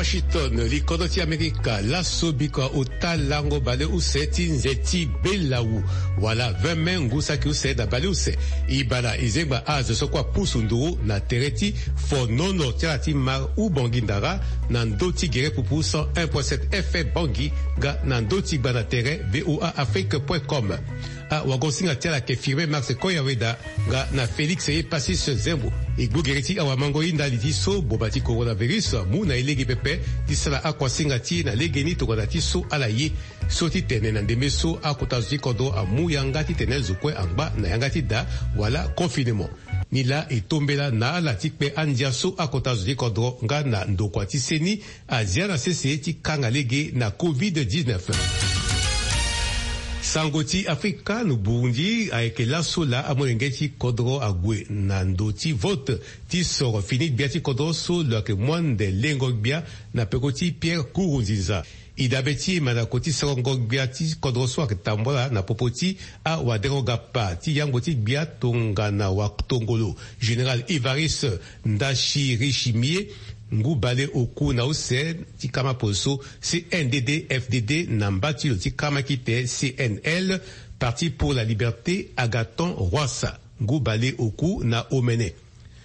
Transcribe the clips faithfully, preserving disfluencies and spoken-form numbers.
Washington, li kodro ti Amerika, laso bikua ota lango baleuse ti nze ti belawu, wala vingt mai ngu saki use na baleuse. E bana e zengba azo so kue apusu nduru na tere ti fonono ti ala ti mare Ubangui Ndara, na ndö ti gere pupu cent un point sept F M Bangui, nga na ndö ti gba na tere V O A Afrique point com. Awagosinga ti ala ayeke Firmin Max Koyaweda, nga na Félix Epasis Zembo. E gbu gere ti awamango ye ndali ti so boma ti coronavirus amu na e lege pepe ti sara akuasinga ti e na legeni tongana ti so ala ye. So ti tene na ndembe so akota zo ti kodro amu yanga titene zo kue angba na yanga ti da, wala confinement. Nilaa e tombela na ala ti kpe andia so akota zo ti kodro nga na ndokua ti seni azia na sese ti kanga lege na covid dix-neuf. Sango ti Afrika, na Burundi ayeke laso laa amolenge ti kodro ague na ndo ti vote ti soro fini gbia ti kodro so lo yeke mu ande lengo gbia na peko ti Pierre Nkurunziza. E dabe ti mandako ti sorongo gbia ti kodro so ayeke tambula na popo ti awadengo-gapa ti yango ti gbia tongana watongolo, général Évariste Ndayishimiye, ngu baleoku na use ti kama poso, C N D D F D D, na mba ti lo ti kama kite, C N L, Parti pour la Liberté, Agathon Rwasa, ngu baleoku na omene.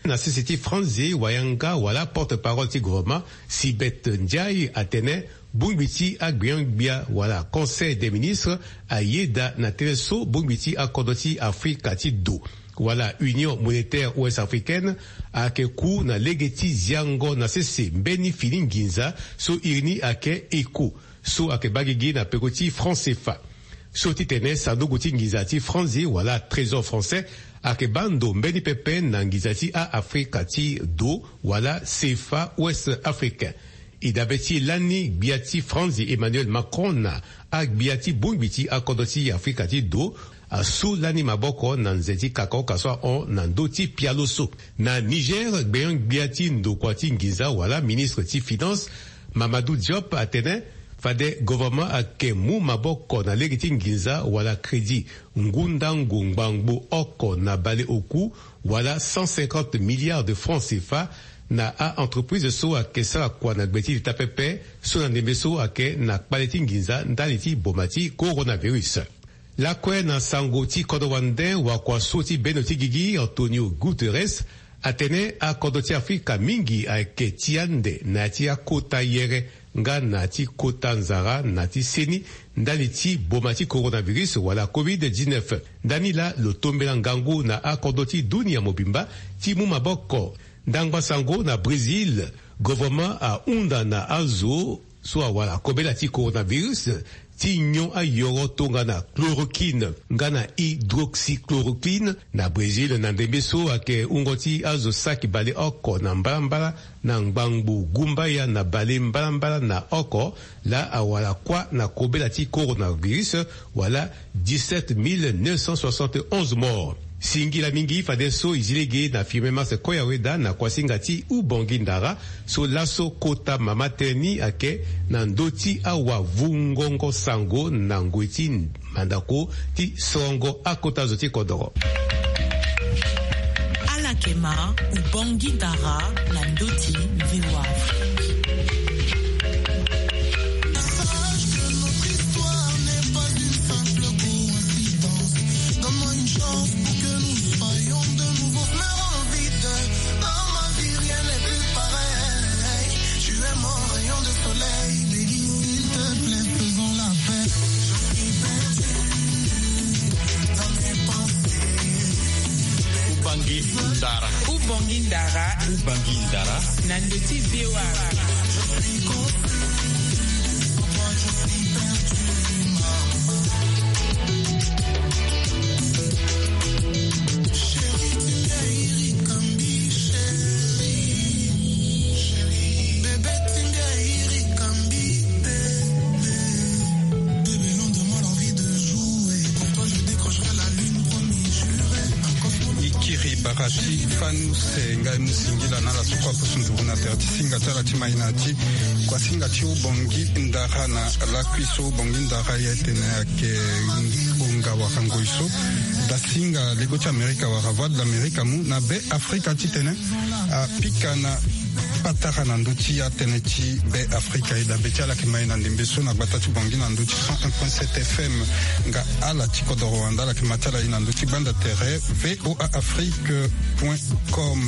Na sese ti Franzi, wayanga wala porte-parole ti gouvernement, Sibeth Ndiaye, atene bongbi ti agbenyo-gbia wala Conseil des ministres ayeda na tënë so bongbi ti akodro ti Afrika ti do wala Union monétaire ouest-africaine ayeke ku na lege ti ziango na sese mbeni fini nginza so iri ni ayeke écho, so ayeke baa gigi na peko ti franc C F A. So ti tene sanduku ti nginza ti Franzi wala trésor français ayeke baa ndo mbeni pepe na nginza ti a-Afrika ti do wala C F A ouest-africain. E dabe ti lani gbia ti Franzi Emmanuel Macron na agbia ti bongbi ti akodro ti Afrika ti do asu lani maboko na nze ti kaka oka so ahon na ndö ti pialo so. Na Niger, gbenyo-gbia ti ndokua ti nginza wala ministre ti finance, Mamadou Diop, atene fade gouvernement ayeke mu maboko na lege ti nginza wala crédit ngu ndango ngbangbo oko na baleoku wala cent cinquante milliards de francs C F A na a-entreprise so ayeke sara kua na gbe ti leta pepe, so na ndembe so ayeke na kpale ti nginza ndali ti boma ti coronavirus. Lakue na sango ti kodro wande, wakua so ti bendo ti gigi Antonio Guterres atene akodro ti Afrika mingi ayeke ti ande na ya ti akota yere nga na ya ti kota nzara na ti seni ndali ti boma ti coronavirus wala covid dix-neuf. Ndani laa lo tombela ngangu na akodro ti dunia mobimba ti mu maboko. Ndangba sango na Brésil, gouvernement ahunda na azo so awara kobela ti coronavirus ti nyon ayoro tongana chloroquine nga na hydroxychloroquine na Brésil, na ndembe so ayeke wungo ti azo saki baleoko na mbalambala na ngbangbo gumbaya na bale mbalambala na oko laa awara kuâ na kobela ti coronavirus, wala dix-sept mille neuf cent soixante et onze morts. Singila mingi fadeso e zi lege na Firmin Max Koyaweda na kuasinga ti Ubongi Ndara, so laso kota mama tënë ni ayeke na ndö ti awavungongo sango na ngoi ti mandako ti sorongo akota zo ti kodoro. Ala yeke ma Ubongi Ndara na ndö ti V O A Afrique. Sache que notre histoire n'est pas une simple coïncidence. Donne-moi une chance pour que nous soyons de nouveau. Dans ma vie, rien n'est plus pareil. Tu es mon rayon de soleil, baby. S'il te plaît, faisons la fête. Je suis perdu dans mes pensées. Ubangi Ndara. Ubangi Ndara. Ubangi Ndara. Na ndö ti V O A. Je suis confus. Sans toi, je suis perdu, maman. E kiri bara ti fani use, ngai mu singila na ala so kue apusu nduru na tere ti singa ti ala ti mai na ya ti kuasinga ti Ubongi Ndara na lakui so. Ubongi Ndara ye tene ayeke ngonga wala ngoi so dasinga lego ti Amerika wala Voix de l'Amérique amu na be Afrika titene apika na Patara na ndö ti atënë ti Be Afrika. E dabe ti ala yeke ma e na ndembe so na gbata ti Bangui na ndö ti cent un point sept F M. Nga ala ti kodoro wande ala yeke ma ti ala e na ndö ti gbanda tere V O A Afrique point com.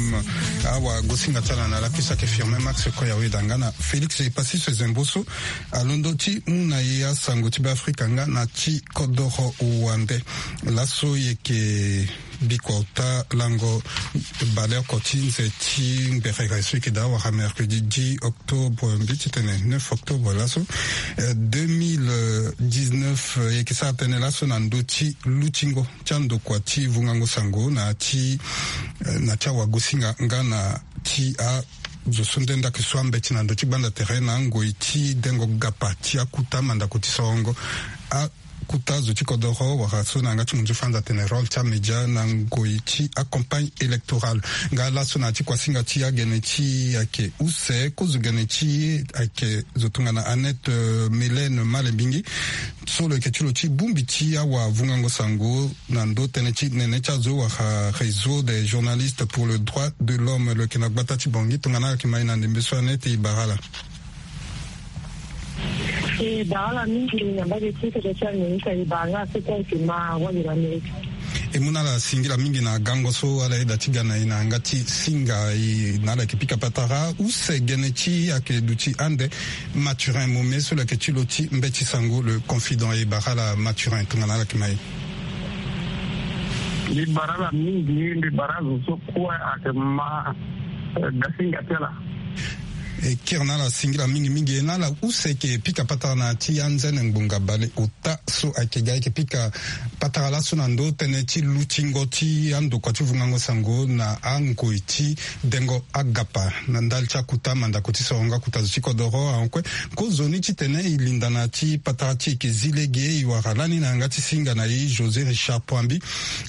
Awagosinga ti ala na lakui so ayeke Firmin Max Koya Weda nga na Félix Epassis Zembo so alondo ti mu na e asango ti Be Afrika nga na ti kodoro wande. Laso e yeke bikua ota lango baleoko ti nze ti ngberere so e yeke daa wara mercredi dix octobre mbi ti tene neuf octobre laso, eh, deux mille dix-neuf, eh, e yeke sara tënë laso na ndö ti lutingo ti andokua ti vungango sango na ti, eh, na ti awagosinga nga na ti a zo so nde nda yeke so ambeti na ndö ti gbanda tere na angoi ti dengo gapa ti akuta mandako ti sorongo a kuta zo ti kodoro wala so na yanga ti munzu fanza atene rôle ti amédia na ngoi ti acampagne électorale. Nga laso na ya ti kuasinga ti agene ti e ayeke use kozo gene ti e ayeke zo tongana Annette, euh, Mélène Malembingi so lo yeke ti lo ti bongbi ti awavungango sango na ndö tënë ti nene ti azo wala Réseau des journalistes pour le droit de l'homme, lo yeke na gbata ti Bangui. Tongana ala yeke ma e na ndembe so Annette, e bara ala. E bara ala mingi na mbage ti kodro ti Amerika, e bara nga so kue ayeke ma wali na Amerika. E mu na ala singila mingi na gango so ala yeda ti ga na e na yanga ti singa e na ala yeke pika patara use gene ti e ayeke duti ande Mathurin Momé so lo yeke ti lo ti mbeti sango Le Confident. E bara ala Mathurin tongana ala yeke ma e. Mbi bara ala mingi, mbi bara azo so kue ayeke ma, eh, gasinga ti ala. E kiri na ala singila mingi mingi. E na ala use e yeke pika patara na ya ti anzene ngbonga baleota so ayeke ga, e yeke pika patara laso na ndö tënë ti lutingo ti andokua ti vungango sango na angoi ti dengo agapa na ndali ti akuta mandako ti sorongo akuta zo ti kodoro. Ahon kue, kozoni titene e linda na ya ti patara ti e yeke zi lege, e wara lani na yanga ti singa na e José Richard Poambi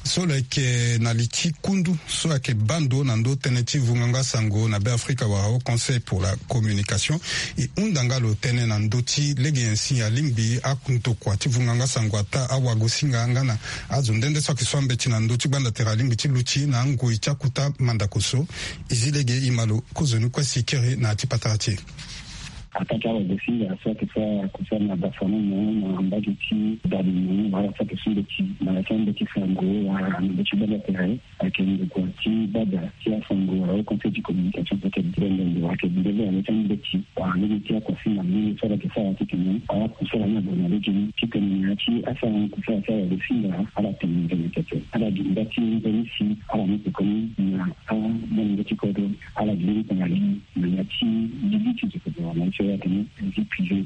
so lo yeke na li ti kundu so ayeke baa ndo na ndö tënë ti vungango asango na Be Afrika wala Haut Conseil pour la communication. E hunda nga lo tënë na ndö ti lege nyen si alingbi andokua ti vungango asango ataa awagosinga nga na azo nde nde so ayeke so ambeti na ndö ti gbanda tere alingbi ti luti na angoi ti akuta mandako so. E zi lege, e ma lo kozoni kue si e kiri na ya ti patara ti e. Ataa ti awagosinga so ayeke sara kosara na dafa na mo na mbage ti bale mo wala so ayeke so mbeti na ya ti ambeti sango wala na ndö ti gbanda tere. Ayeke ndokua ti bada ti asango wala Haut Conseil ti communication so ayeke bendende wala ayeke bendende na ya ti ambeti wala lege ti akuasinga lege so ala yeke sara titene ala kusala ni abana lege ni titene na ya ti asara ni kusala ti awagosinga ala tene nzoni tete ala gi nda ti nzoni si ala ni pekomi na amolenge ti kodro ala gi ni tongana lege na ya ti lili ti zo kodro na ya ti oyo atene vie privée.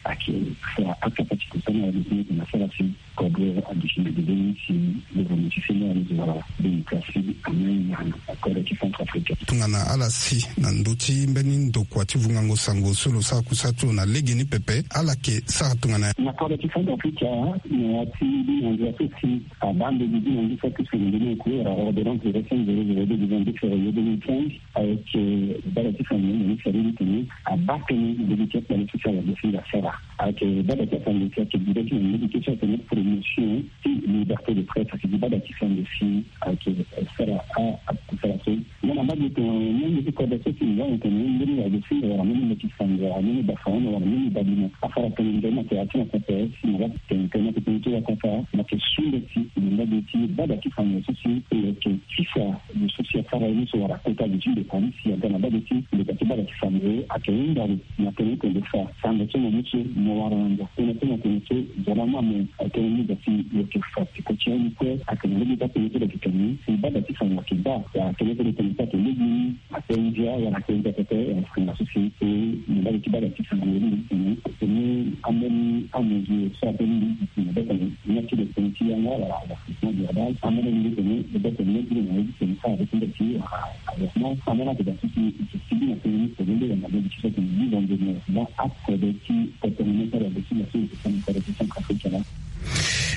Ayeke fa akapa ti kusana wala lege ni tena sara si kodro aduti na dede ni si gouvernement ti sene wala zo wala démocratie amai na kodro ti Centrafrique. Tongana ala si na ndö ti mbeni ndokua ti vungango sango so lo sara kusana ti lo na lege ni pepe, ala yeke sara tongana nyen? Na kodro ti Centrafrique, na ya ti binanzi aso si abaa mbeni binanzi so apusu na ndö ni oko wala ordonnance de cinq zéro zéro deux du vingt-deux février deux mille quinze, ayeke bada ti sango na ni sari ni tene abaa tënë na lege ti akpale so si awagosinga asara. Ayeke bada ti asango si ayeke bida ti na lege ti so atene promotion ti liberté de presse, ayeke gi bada ti sango si ayeke sara a, akusala so. Nga na mbage tongana ni ande ti kodro so si nga na tene mbeni wagosinga wala mbeni mbeti sango wala mbeni dafa wala mbeni badina asara tongana nzoni na tere ti na pepe si na la tene tene na tene ti wakata na yeke su mbeti na mbage ti bada ti sango so si lo yeke tisa lo so si asara ye ni so wala kota lo ti ndokua ni si aga na mbage ti ndokua ti bada ti sango ayeke hunda lo na tene ti tene fa sango so mo mu so mo wara na ndo tënë so na tënë so zo laa mo ayeke tënë ni ga si lo yeke fa peko ti ya ni kue ayeke na lege ti atënë so lo yeke tene si bada ti sango ayeke baa wala tënë so lo tene so ayeke lege ni ape ndia wala ape ndia pepe wala sango so si e na mbage ti bada ti sango ni tene tene ambeni amesure so ape ni tene beto na ya ti lo tene ti yanga wala avertissement verbal ambeni ni tene beto na ya ti lo na ya ti tene sa avertissement ti wala avertissement ambeni ape da so si e yeke sigi na tene ni tene nde wala mbeni ti so tene ni wala mbeni wala akode ti kotono ni kala de ti la so e yeke tene kode ti Centrafrique la.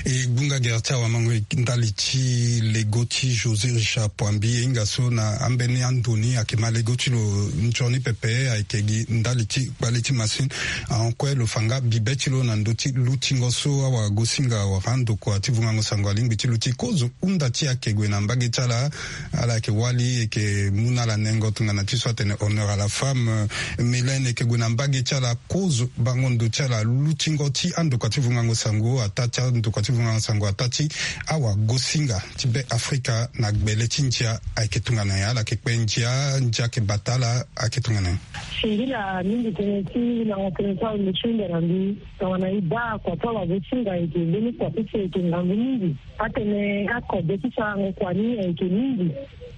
E gbunga Ere ti awamango ndali ti lego ti José Richard Poambi, e hinga so na ambeni ando ni ayeke ma lego ti lo nzoni pepe, ayeke gi ndali ti kpale ti masini. Ahon kue lo fa nga bibe ti lo na ndö ti lutingo so awagosinga wala andokua ti vungango sango alingbi ti luti kozo hunda ti ayeke gue na mbage ti ala. Ala yeke wali, e yeke mu na ala nengo tongana ti so atene honneur à la femme. Mélène e yeke gue na mbage ti ala kozo bango ndo ti ala lutingo ti andokua ti vungango sango ataa ti andokua ti vungango sango ataa ti awagosinga ti Be Afrika na gbele ti ndia ayeke tongana nyen? Ala yeke kpe ndia, ndia ayeke bata ala, ayeke tongana nyen? Singila mingi tënë ti lango tënë ti awe mo ti hunda na mbi. Tongana e baa kua ti awagosinga ayeke mbeni kua ti so ayeke ngangu mingi. Atene akode ti sarango kua ni ayeke mingi.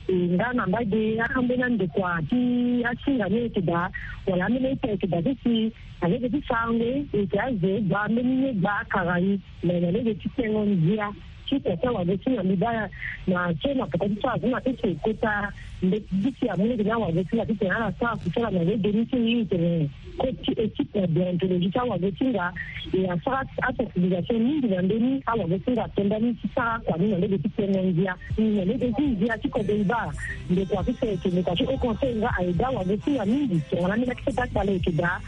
E nga na mbage ambeni andokua ti asinga ni ayeke daa, wala ambeni aita ayeke daa ti si na lege ti sarango e, e yeke azo gba mbeni ye gba akara e. Me na lege ti tengo ndia ti kua ti awagosinga mbi baa na so na peko ti so azo na ti so e kota mbeti ti si amu lege ni awagosinga titene ala sara kusala na lege ni ti e tene. Coach ti équipe na déontologie ti awagosinga, e asara asensibilisation mingi na mbeni awagosinga atonda ni ti sara kua ni na lege ti tengo ndia. Na lege ti ndia ti kode e baa ndokua ti so ayeke ndokua ti haut conseil nga aye daa awagosinga mingi tongana ambeni akete akpale ayeke daa.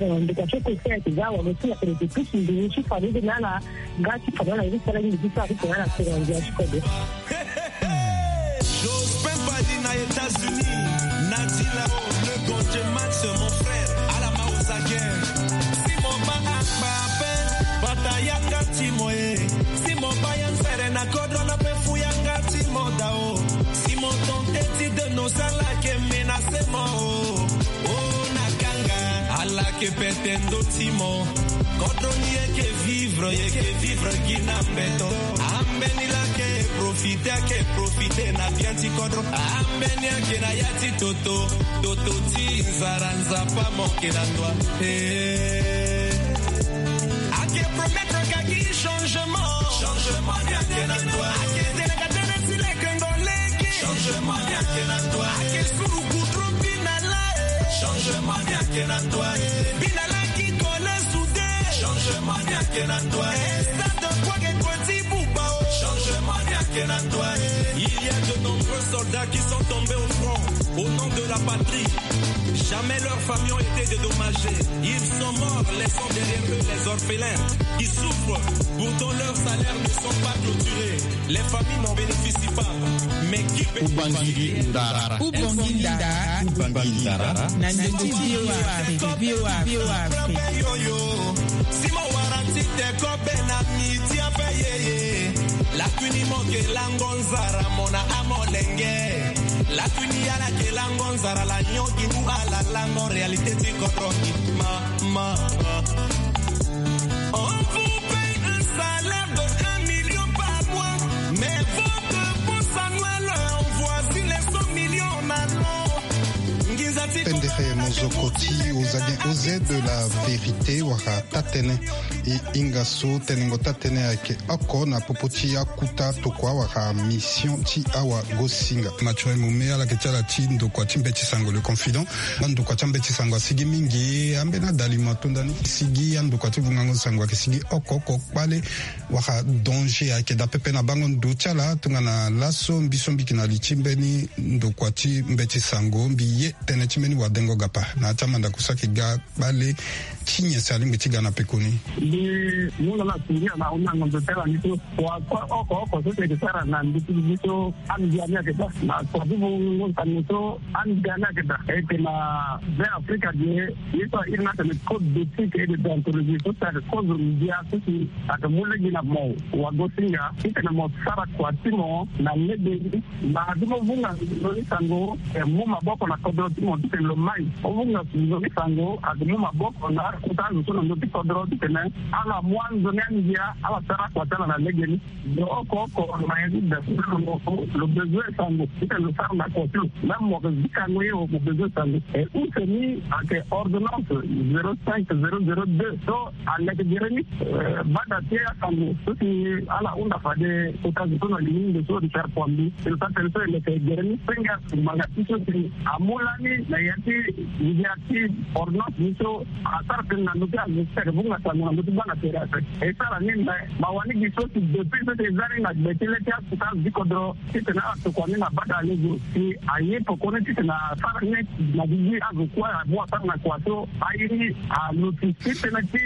Ndokua ti haut conseil ayeke daa awagosinga tene e yeke pusu nduru ti fa lege na ala nga ti fa na ala ye ti sara mingi ti sara titene ala tengo ndia ti kode. Jospin Bali na États-Unis, Nati Lao, le Gonje Max, mon frère, ala ma ozage. Si mo baa akpa ape, bata yanga ti mo e. Si mo baa ya nzere na kodro na pe fu yanga ti mo dao. Si mo tente ti dénoncer ala yeke menacer mo o. O na kanga, ala yeke pete ndo ti mo. Kodro ni yeke vivre, yeke vivre gi na mbeto. Ambeni laa ayeke profiter, ayeke profiter na bien ti kodro. Ambeni ayeke na ya ti toto, toto ti nzara, Nzapa mo yeke na ndua. Eh. Ayeke promettre ka gi changement. Changement ni ayeke na ndua. Ayeke tene ka tene si leke ndo leke. Changement ni ayeke na ndua. Ayeke suru goudron bi na la e. Changement ni ayeke na ndua e. Bi na la ki kole soude. Changement ni ayeke na ndua e. Stade de Kouaké Koueti Bouba o. Changement ni ayeke na ndua e. Il y a de nombreux soldats qui sont tombés au front au nom de la patrie. Jamais leurs familles ont été dédommagées. Ils sont morts, laissant derrière eux les orphelins qui souffrent. Pourtant, leurs salaires ne sont pas clôturés. Les familles n'en bénéficient pas. Mais qui peut... Ubangui Ndara. Ubangui Ndara. Ubangui Ndara. Na ndenge ti V O A Afrique, V O A Afrique. Si mo wara ti te kobe na miti ape yeye. Lakui ni mo yeke lango nzara mo na amolenge. Lakui ni ala yeke lango nzara la nyon gi ngu ala lango réalité ti kodro ni. Ma, ma, ma. On vous paye un salaire de un million par mois, mais votre boss annuel envoie les cent millions en allemand. Pendere mozoko ti Ozagen Oze de la vérité wala tatene. E hinga so tenengo tatene ayeke oko na popo ti akuta tokua wala mission ti awagosinga. Mathurin Mome ala yeke ti ala ti ndokua ti mbeti sango Le Confident. Ndokua ti ambeti sango asigi mingi. Ambeni adalima atonda ni sigi, andokua ti vungango sango ayeke sigi oko oko kpale wala danger ayeke daa pepe na bango ndo ti ala tongana laso mbi so mbi yeke na li ti mbeni ndokua ti mbeti sango mbi ye tënë ti mbeni wadengo gapa na ya ti amandako so ayeke ga kpale ti nyen si alingbi ti ga na pekoni. Mbi mu na ala singia na ahunda ngonzo ti ala ni so kua kue oko oko so si ayeke sara na ndö ti duti so andia ni ayeke daa na kua ti vungo sango so andia ni ayeke daa. E yeke na Be Afrika ge ye so airi ni atene code d'éthique et de déontologie so si ayeke kozo ndia so si ayeke mu lege na mo wagosinga titene mo sara kua ti mo na lege ni. Mbara ti mo vunga nzoni sango, e, mu maboko na kodro ti mo titene lo mai. Mo vunga nzoni sango ayeke mu maboko na akota azo so na ndö ti kodro titene ala mu anzoni andia ala sara akua ti ala na lege ni. Lo oko oko lo ma ya ti da lo, lo bezoin sango titene lo sara na kua ti lo. Même mo yeke zikango ye o, mo bezoin sango. E use ni ayeke ordonnance zéro cinq zéro zéro deux so aleke gere ni. Eh, bada ti asango so si ala hunda fade kota zo so na lingomba so Richard Poambi, e lo sara tënë so e leke gere ni. Senge manga ti so si amu lani na ya ti ngia ti ordonnance ni so asara Tënë na ndö ti azo ti ayeke vunga sango na ndö ti gbanda tere ape. E sara ni me ma wani gi so si depuis so si e za ni na gbe ti le ti akuta azo ti kodro titene ala tokua ni na bata alezo si aye pekoni titene asara ni na gigi azo kue amu asara na kua so aye ni aluti ti tënë ti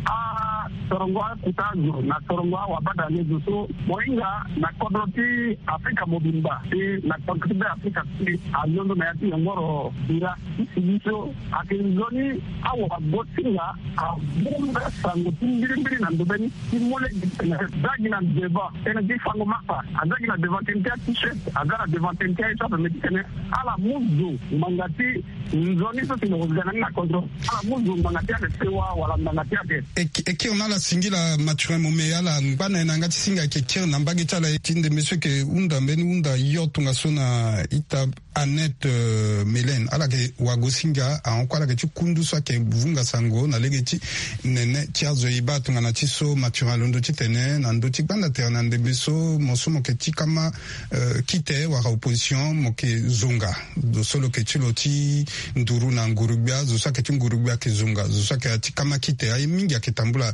asorongo akuta azo na sorongo awabata alezo so mo hinga na kodro ti Afrika mobimba si na kodro ti Be Afrika si alondo na ya ti yongoro bira ti sigi so ayeke nzoni awagosinga abonga sango ti mbirimbiri na ndobeni ti mu lege titene aza gi na devant tënë ti fango masa, aza gi na devant tënë ti a-t-shirt, aza na devant tënë ti aye so ape me titene ala mu zo ngbanga ti nzoni so si lo ga na ni na kodro, ala mu zo ngbanga ti ake sewa wala ngbanga ti ake. E kiri na ala singila Mathurin Mome, ala ngba na e na yanga ti singa ayeke kiri na mbage ti ala ti ndembe so ayeke hunda mbeni hunda yo tongaso na ita Annette, euh, Mélène, ala yeke wagosinga ahon kue, ala yeke ti kundu so ayeke vunga sango na lege ti nene ti azo. E baa tongana ti so Mathurin alondo titene na ndö ti gbanda tere na ndembe so mo so mo yeke ti kama, euh, kite wala opposition mo yeke zonga. Zo so lo yeke ti lo ti nduru na nguru-gbia, zo so ayeke ti nguru-gbia ayeke zonga, zo so ayeke ti kama kite, aye mingi ayeke tambula.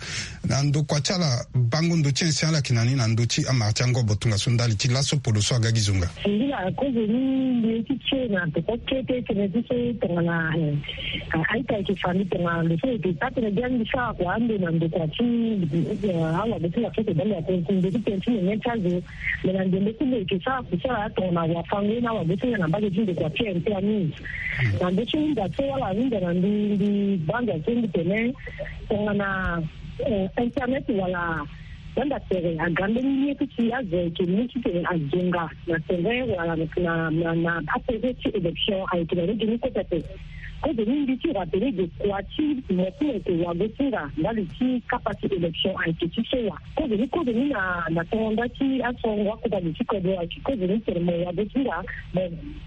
Na ndokua ti ala bango ndo ti ancien ala yeke na ni na ndö ti amara ti angobo tongaso ndali ti laso polo so aga gi zonga. Singila kozo ni mbi ye ti tie na peko kete tënë ti so tongana, eh, a-ita ayeke fa mbi tongana lo so lo yeke sara tënë bia mbi sara kua ande na ndokua ti, eh, awagosinga so ayeke bale akonku ndo ti tënë ti nene ti azo. Me na ndembe ti lo yeke sara kusala tongana wafango ye na awagosinga na mbage ti ndokua ti M P A News. Na ndö ti hunda so ala hunda na mbi, mbi banza so mbi tene tongana, eh, internet wala gbanda tere aga mbeni ye ti si azo ayeke mu titene azonga na tere wala na, na, na apere ti élection ayeke na lege ni kue pepe. Kozo ni mbi ti rappeler de kua ti mo ti mo yeke wagosinga ndali ti kapa ti élection ayeke ti sewa. Kozo ni, kozo ni na, na tongo nda ti asorongo akota zo ti kodro ayeke kozo ni tene mo wagosinga mo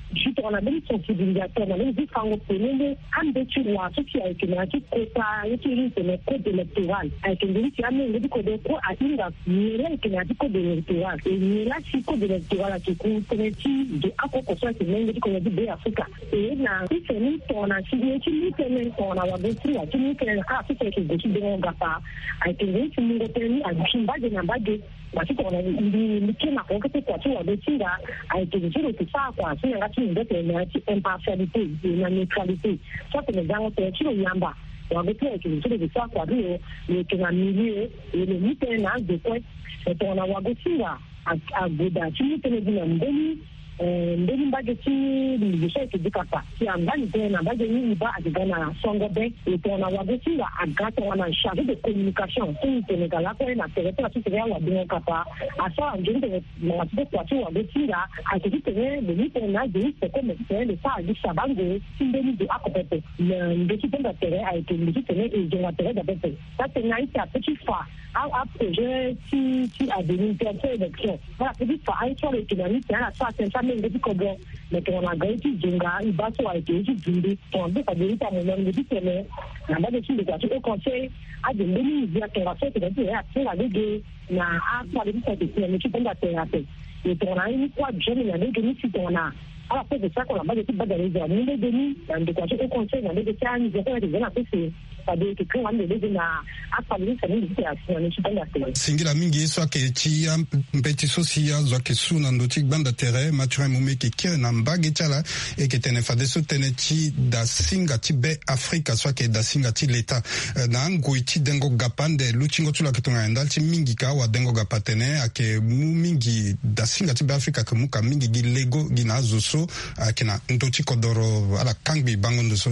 Ju tongana mbeni sensibilisateur na mbeni zi fango penende ande ti wa so si ayeke na ya ti kota ye ti iri tene code électoral ayeke ndeni si amenge ti kodro kue ahinga nyen la ayeke na ya ti code électoral e nyen la si code électoral ayeke ku tënë ti zo akoko so ayeke menge ti kodro ti Be Afrika. E na ti tene tongana si ye ti mu tënë tongana wagosinga ti mu tënë na ala so si ayeke gue ti dengo gapa ayeke ndeni si mungo tënë ni azi mbage na mbage. Parce que tongana mbi mbi kiri na koko kete kua ti wagosinga ayeke zo so lo yeke sara kua so na yanga ti mbi mbe tene na ya ti impartialité et na neutralité. So atene gango tene ti lo yamba wagosinga ayeke zo so lo yeke sara kua ti lo, lo yeke na milieu e lo mu tënë na azo kue. Me tongana wagosinga a- ague daa ti mu tënë gi na mbeni, eh, mbeni mbage ti lo so ayeke dikapa si angba li tënë na mbage ni e baa ayeke ga na songo be. E tongana wagosinga aga tongana chargé de communication so e tene ga lakue na tere ti ala so tene awadengo kapa asara nzoni tene ngbanga ti kue kua ti wagosinga ayeke titene lo mu tënë na azo ni peko me titene lo sara gi sabango ti mbeni zo oko pepe. Na ndö ti gbanda tere ayeke ndö titene e zonga tere daa pepe. Taa tënë na ita ape ti fa a- aprojet ti ti avenir ti élection. Ala pe ti fa aye so ala yeke na ni tene ala sara tënë ti amenge ti kodro. Me tongana aga ye ti zonga e baa so ayeke ye ti zumbi tongana be fade ye ti amomani ngu ti tene na mbage ti ndokua ti Haut Conseil. Ade mbeni ngia tongaso ayeke na ti tene atinga lege na akpale ti so ayeke si na ndö ti gbanda tere ape. E tongana aye ni kue abioni na lege ni si tongana ala so ayeke sara kue na mbage ti gbanda lege amu lege ni na ndokua ti Haut Conseil na lege ti anze kue ayeke za na sese. Fade e yeke kanga ande lege na akpale ti so ande ti tene asi na ndö ti gbanda tere. Singila mingi ye so ayeke ti a- mbeti so si azo ayeke su na ndö ti gbanda tere Mathurin Mome ayeke kiri na mbage ti ala. E yeke tene fadeso tënë ti dasinga ti Be Afrika so ayeke dasinga ti leta, eh, na angoi ti dengo gapa ande lutingo ti lo ayeke tongana ndali ti mingi ka awadengo gapa atene ayeke mu mingi dasinga ti Be Afrika ayeke mu ka mingi gi lego gi na azo so ayeke na ndö ti kodoro. Ala kangbi bango ndo so.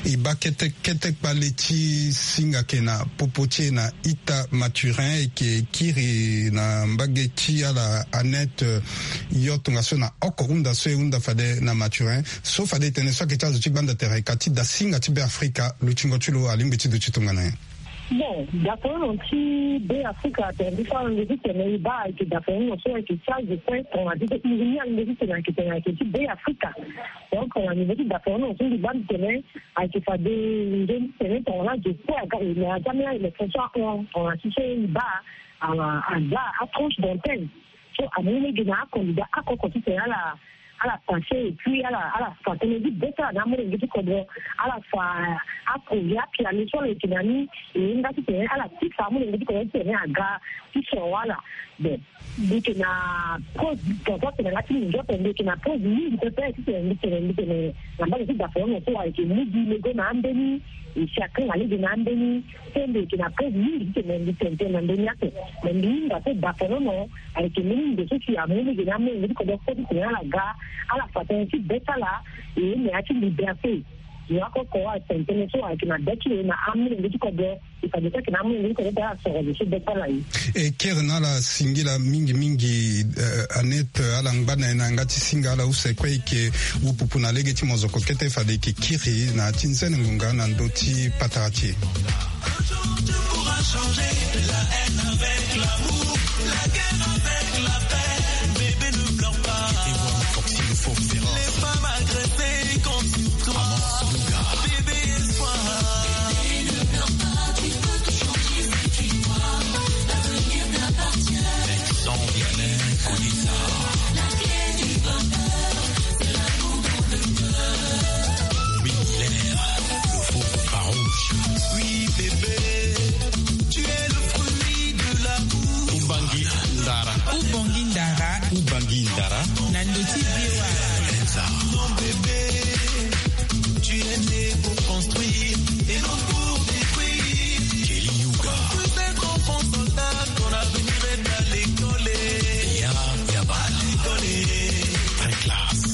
E baa kete kete kpale ti singa ayeke na popo ti e na ita Mathurin e yeke kiri na mbage ti ala Annette, eh, yo tongaso na oko hunda so e hunda fade na Mathurin so fade e tene so ayeke ti azo ti gbanda tere ka ti dasinga ti Be Afrika lutingo ti lo alingbi ti duti tongana nyen? Bon, dapono ti Be Afrika atene ti so ala nge ti tene e baa ayeke dapono so ayeke ti azo kue tongana ti so e iri ni ala nge ti tene ayeke tene ayeke ti Be Afrika. Donc na niveau ti dapono so mbi baa mbi tene ayeke fade nzoni tene tongana azo kue aga e na ya ti ambeni élection so ahon tongana ti so e baa aza atranche d'antenne so amu lege na acandidat akoko titene ala ala passé et puis ala ala fa tënë ti be ti ala na amolenge ti kodro. Ala fa aprojet apiano so ala yeke na ni. E nga titene ala ti fa amolenge ti kodro titene aga ti soro ala. Bon, mbi yeke na pause, tongaso atene nga ti mingi ape, mbi yeke na pause mingi pepe titene mbi tene mbi tene na mbage ti daponono so ayeke mu gi lego na ambeni. E si akanga lege na ambeni. So mbi yeke na pause mingi titene mbi tene tënë na mbeni ape. Me mbi hinga so daponono ayeke mbeni ndo so si amu lege na ambeni mbi ti kodro so titene ala ga ala fa tënë ti be ti ala. E me ya ti liberté. Yo akoko atene tënë so ayeke na be ti lo na amolenge ti kodro. E fade so ayeke na amolenge ti kodro ti ala soro zo so be ti ala ye. E kiri na ala singila mingi mingi, eh, Annette, ala ngba na e na yanga ti singa ala use kue e yeke wupupu na lege ti mozoko kete fade e yeke kiri na ya ti nzene ngonga na ndö ti patara ti e. Ubangi ndara. Ubangi ndara. Ubangi ndara. Na ndö ti biro. Mon bébé, tu es né pour construire et non pour détruire. Kelly Yuga. Construis un grand pont soldat, ton avenir est à l'école. Ya, ya ba. À l'école. Très classe.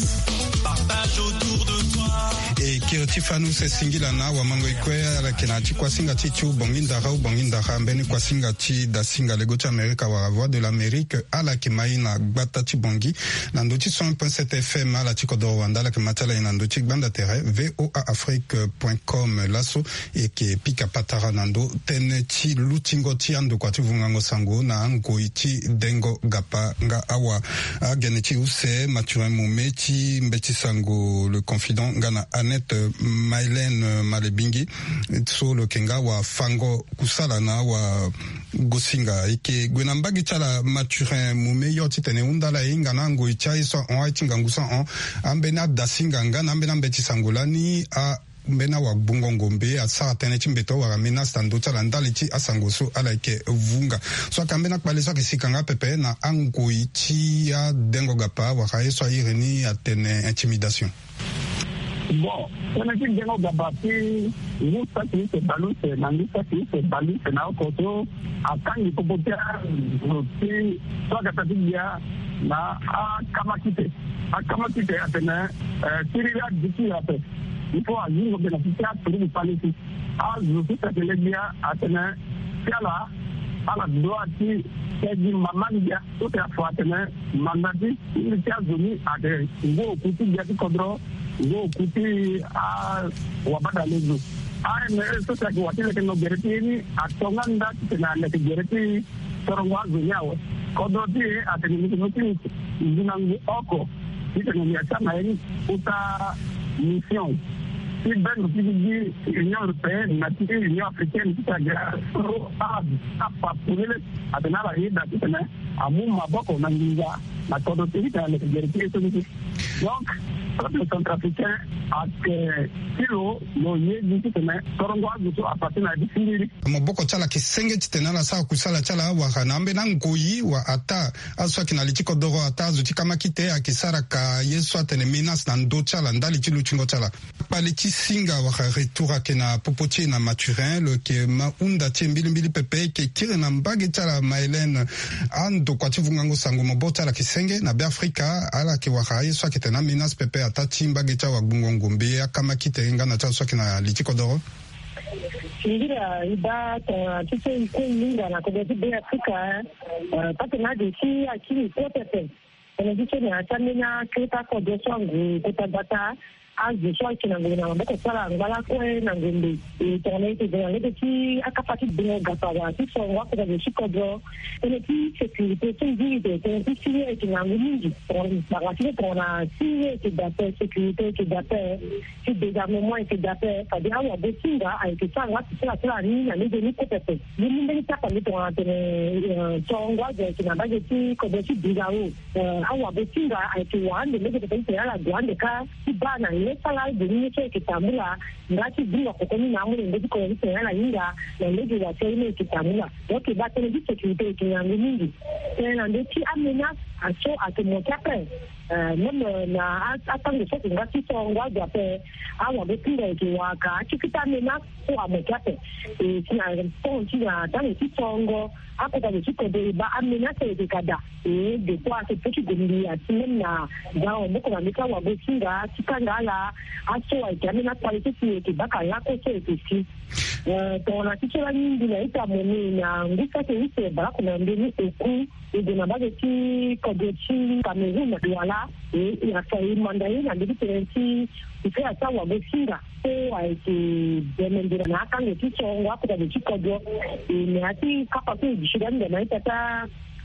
Partage autour de toi. E kiri ti fani use singila na awamango e kue ala yeke na ya ti kuasinga ti ti Ubongi ndara, Ubongi ndara, mbeni kuasinga ti dasinga lego ti Amerika wala Voix de l'Amérique. Ala yeke ma e na gbata ti Bongi na ndö ti cent un point sept F M. Ala ti kodoro wande ala yeke ma ti ala e na ndö ti gbanda tere V O A Afrique point com. Laso e yeke pika patara na ndö tënë ti lutingo ti andokua ti vungango sango na angoi ti dengo gapa nga awa. Agene ti use Mathurin Moume ti mbeti sango Le Confident nga na Annette Maïlène Malebingi so lo yeke nga awafango kusala na awagosinga. E yeke gue na mbage ti ala Mathurin Moume yo titene e hunda ala e hinga na angoi ti aye so ahon, aye ti ngangu so ahon, ambeni adasinga nga na ambeni ambeti sango lani a mbeni awagbungo ngombe asara tënë ti mbeto wala menace na ndö ti ala ndali ti asango so ala yeke vunga. So ayeke ambeni akpale so ayeke sika nga pepe na angoi ti adengo gapa wala ye so a iri ni atene intimidation. Bon, tënë ti dengo gapa ti ngu saki use bale use na ngu saki use bale use na oko so atangi popo ti azo ti so akata ti gbia na akama kite. Akama kite atene, eh, siriri adiki ape. Il faut azingo be na ti ti aturugu palisi. Azo so si atene gbia atene ti ala, ala doit ti tegi mama ni gbia so si afa atene manda ti ti azo ni ayeke ngu oku ti gbia ti kodro, ngu oku ti awabadalezo. A M R so si ayeke wa ti leke no gere ti ye ni atonga nda titene aleke gere ti sorongo azo ni awe. Kodro ti e atene mbi yeke mu ti nginangu oko titene mbi yeke sama ye ni kota mission ti bendo ti gigi ti Union Européenne na ti Union Africaine ti ta ga so a, apa polele atene ala yeda titene amu maboko na nginza na kodro ti e titene aleke gere ti ye so ni ti. Donc peuple centrafricain ayeke ti lo, lo ye gi titene sorongo azo so afa ti na ya ti siriri. Maboko ti ala ayeke senge titene ala sara kusala ti ala wala na ambeni angoi wala ataa azo so ayeke na li ti kodoro, ataa azo ti kama kite ayeke sara ka ye so atene menace na ndö ti ala ndali ti lutingo ti ala. Kpale ti singa wala retour ayeke na popo ti e na Mathurin, lo yeke ma hunda ti e mbilimbili pepe. E yeke kiri na mbage ti ala Maëlène. Andokua ti vungango sango maboko ti ala ayeke senge na Beafrika, ala yeke wara aye so ayeke tene amenace pepe ataa ti mbage ti awagbungo ngombe, akama kite nga na ti azo so ayeke na li ti kodoro. Singira e baa tongana ti so e kue e hinga na kodro ti Beafrika, eh, patene ade ti akiri kue pepe. Tene ti so na ya ti ambeni akiri ti akodro so angu kota gbata. Azo so ayeke na ngombe na maboko ti ala angba lakue na ngombe. E tongana ete gue na lege ti akapa ti bongo gapa wala ti songo akota zo ti kodro. Tënë ti sécurité so nziri ete tënë ti siriri ayeke ngangu mingi. Tongana ti tongana siriri ayeke daa ape, sécurité ayeke daa ape, ti désarmement ayeke daa ape. Fade awagosinga ayeke sara nga ti sara sara ni na lege ni kue pepe. Ni mbeni ti akpa ni tongana atene songo azo ayeke na mbage ti kodro ti Birao. Awagosinga ayeke wara ande lege pepe ti tene ala gue ande kâ ti baa na ye ti ala ade ni ye so ayeke tambula. Nga ti zinga koko ni na amolenge ti kodro ti tene ala hinga na lege wa ti aye ni ayeke tambula. Donc e baa tënë ti sécurité ayeke ngangu mingi. Tënë na ndö ti amenace aso ayeke mo ti ape. Même na atango so ayeke nga ti songo azo ape, awagosinga ayeke wara ka akikita amenace so amo ti ape. E si na tongo ti na tango ti songo akota zo ti kodro e baa amenace ayeke ka daa. E depuis ayeke po ti gue mbi ati même na za maboko na mbi ti awagosinga ti kanga ala. Aso ayeke amenace kpale so si e yeke baka lakue so e yeke si. Tongana ti so lani mbi na ita moni na ngu saki use baleoko na mbeni oku. E gue na mbage ti kodro ti Cameroun na Douala. E afa e manda ye na mbeni tënë ti kufela ti awagosinga so ayeke bemendela na akango ti songo akota zo ti kodro. E na ya ti kapa so e duti lani ndo na ita ti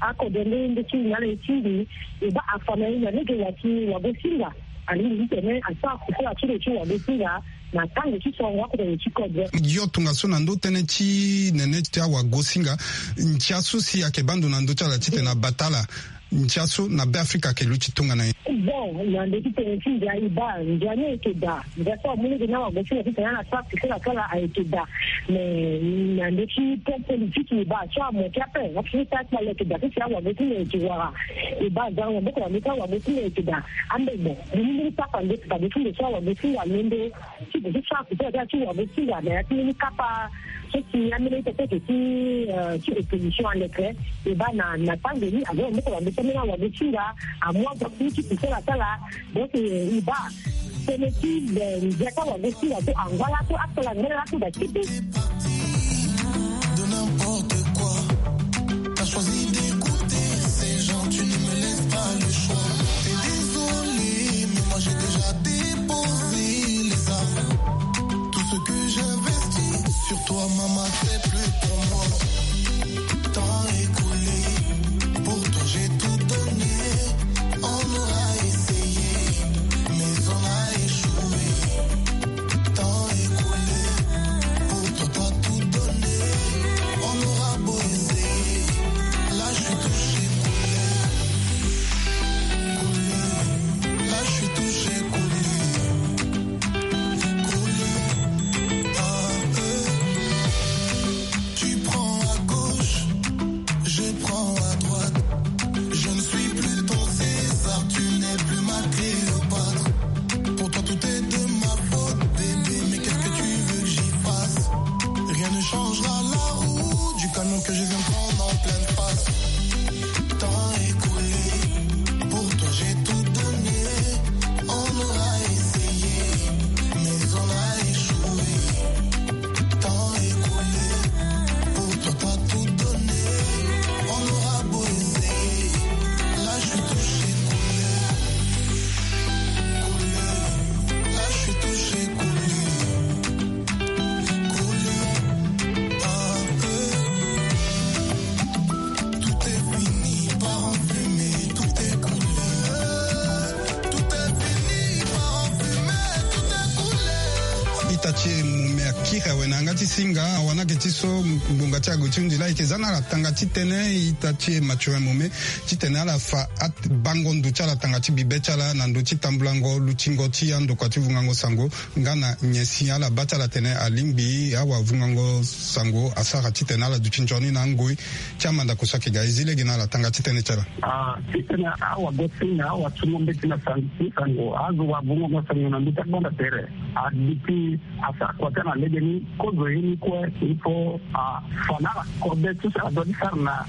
akodro nde nde ti na ala e tingbi. E baa afa na ye na lege wa ti wagosinga alingbi ti tene asara kufela ti lo ti wagosinga na tango ti songo akota zo ti kodro. Yo tongaso na ndö tënë ti nene ti awagosinga, ntia so si ayeke baa ndo na ndö ti ala titene abata ala. Ndia so na Beafrika ayeke luti tongana nyen? Bon, na ndö ti tene ti ndia e baa ndia ni ayeke daa. Ndia so amu lege ni awagosinga titene ala sara kufela ti ala ayeke daa. Mais na ndö ti plan politique e baa so amo ti ape afiota ti ala ayeke daa so si awagosinga ayeke wara. E baa za na maboko na ndö ti awagosinga ayeke daa. Ambe bon, mbi ni mbeni papa nde papa nde ti ndo so awagosinga alondo ti gue ti sara kufela ti ala ti wagosinga na ya ti mbeni kapa so si ambeni ita so ayeke ti ti opposition aleke. E baa na na tango ni azo na maboko na ndö ti ambeni awagosinga amu azo ti ti kufela ti ala. Donc e baa tënë ti ndia ti awagosinga so angba lakue asala ngba lakue daa ti ti. De n'importe quoi. T'as choisi d'écouter ces gens, tu ne me laisses pas le choix. T'es désolé, mais moi j'ai déjà déposé les armes. Tout ce que j'investis sur toi, maman, c'est plus pour moi. Temps écoulé, pour toi j'ai tout donné. On aura essayé, mais on a échoué. Temps écoulé, pour toi t'as tout donné. On aura beau essayer, là je suis touché, coulé. Coulé. Là je suis touché, coulé. Coulé. Ah, euh. Tu prends à gauche, je prends à droite. Je ne suis plus ton César, tu n'es plus ma Cléopâtre. Pour toi tout est de ma faute, bébé, mais qu'est-ce que tu veux que j'y fasse? Rien ne changera la roue du camion que je viens prendre en pleine face. Temps écoulé, pour toi j'ai tout donné. On aura essayé, mais on a échoué. Temps écoulé, pour toi t'as tout donné. On aura beau essayer, là je suis touché, coulé. Coulé. Là je suis touché, coulé. Coulé. Ah, euh. Tout est fini, part en fumée, tout est coulé. Tout est fini, part en fumée, tout est coulé. Ita ti e Mome akiri awe na yanga ti singa, awa ni ayeke ti so ngbonga ti ague ti hundi laa ayeke za na ala tanga titene ita ti e Mathurin Mome titene ala fa abango ndo ti ala tanga ti bibe ti ala na ndö ti tambulango lutingo ti andokua ti vungango sango. Nga na nyen si ala baa ti ala atene alingbi awavungango sango asara titene ala duti nzoni na angoi ti amandako so ayeke ga. E zi lege na ala tanga ti tënë ti ala. Ah, titene awagosinga awatungo mbeti na sango ti sango azo wavungango sango na ndö ti agbanda tere. Aditi asara kua ti ala na lege ni kozo ye ni kue. Il faut afa na ala kode ti so ala doit ti sara na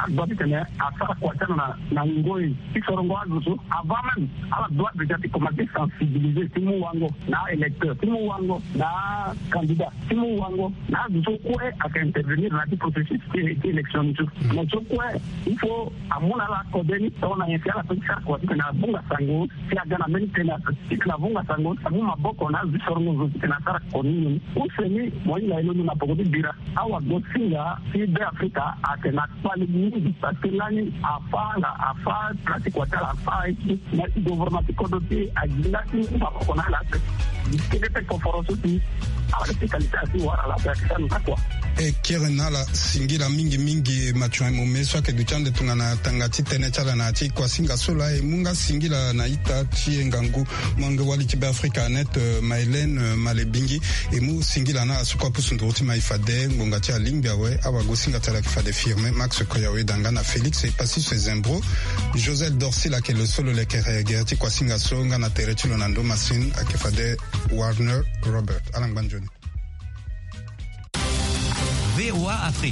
adroit titene asara kua ti ala na ngoi ti sorongo azo so. Avant même ala doit déjà ti commencer sensibiliser ti mu wango na aélecteur, ti mu wango na acandidat, ti mu wango na azo so kue ake intervenir na ya ti processus ti élection ni so. Mais so kue il faut amu na ala kode ni tongana nyen si ala pe ti sara kua titene abunga sango si aga na mbeni tene ape titene abunga sango amu maboko na azo ti sorongo zo titene asara koni ni. Use ni mo hinga ye londo na poko ti bira. Awagosinga ti Be Afrika ake na kpali mingi parce que lani afa ala afa place ti kua ti ala afa aye ti na ti gouvernement ti kodro ti aginda ti maboko na ala ape. Kede pe koforo so ti ala ti kalite ala ti wara ala ape ake sara na kua. E kiri na ala singila mingi mingi Mathurin Mome so ayeke duti ande tongana tanga ti tënë ti ala na ya ti kuasinga so laa e mu nga singila na ita ti e ngangu. Molenge wali ti Be Afrika Net, Maëlène Malebingi, e mu singila na ala so kue apusu nduru ti mai fade ngbonga ti alingbi awe. Awagosinga ti ala ayeke fade Firmin Max Koyawe, danga na Félix Epassis Zembro, Josel Dorcil ayeke lo so lo leke gere ti kuasinga so nga na tere ti lo na ndo Masin ayeke fade Warner Robert. Ala ngba nzoni. V O A Afrique.